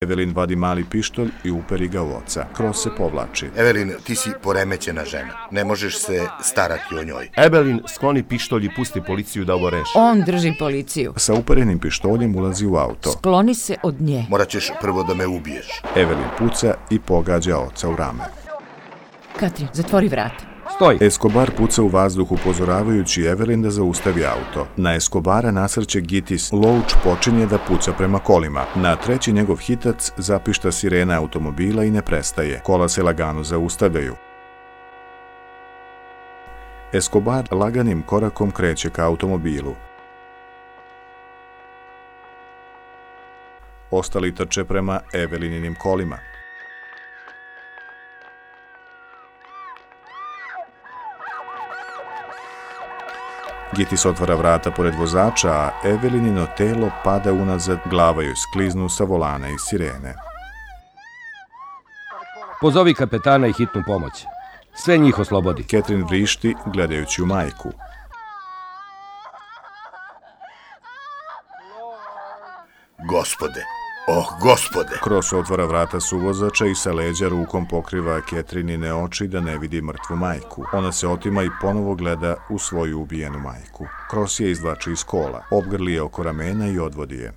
Evelin vadi mali pištolj i uperi ga u oca. Kroz se povlači. Evelin, ti si poremećena žena. Ne možeš se starati o njoj. Evelin skloni pištolj i pusti policiju da ovo reši. On drži policiju. Sa uperenim pištoljem ulazi u auto. Skloni se od nje. Morat ćeš prvo da me ubiješ. Evelin puca i pogađa oca u rame. Katrin, zatvori vrata. Stoj! Escobar puca u vazduh upozoravajući Evelin da zaustavi auto. Na Escobara nasrće Gitis. Loach počinje da puca prema kolima. Na treći njegov hitac zapišta sirena automobila i ne prestaje. Kola se lagano zaustavljaju. Escobar laganim korakom kreće ka automobilu. Ostali trče prema Evelininim kolima. Gitis otvara vrata pored vozača, a Evelinino telo pada unazad, glava joj skliznu sa volana i sirene. Pozovi kapetana i hitnu pomoć. Sve njih oslobodi. Catherine vrišti gledajući u majku. Gospode, gospode! Kroz otvara vrata suvozača i sa leđa rukom pokriva Catherinine oči da ne vidi mrtvu majku. Ona se otima i ponovo gleda u svoju ubijenu majku. Kroz je izvlači iz kola, obgrli je oko ramena i odvodi je.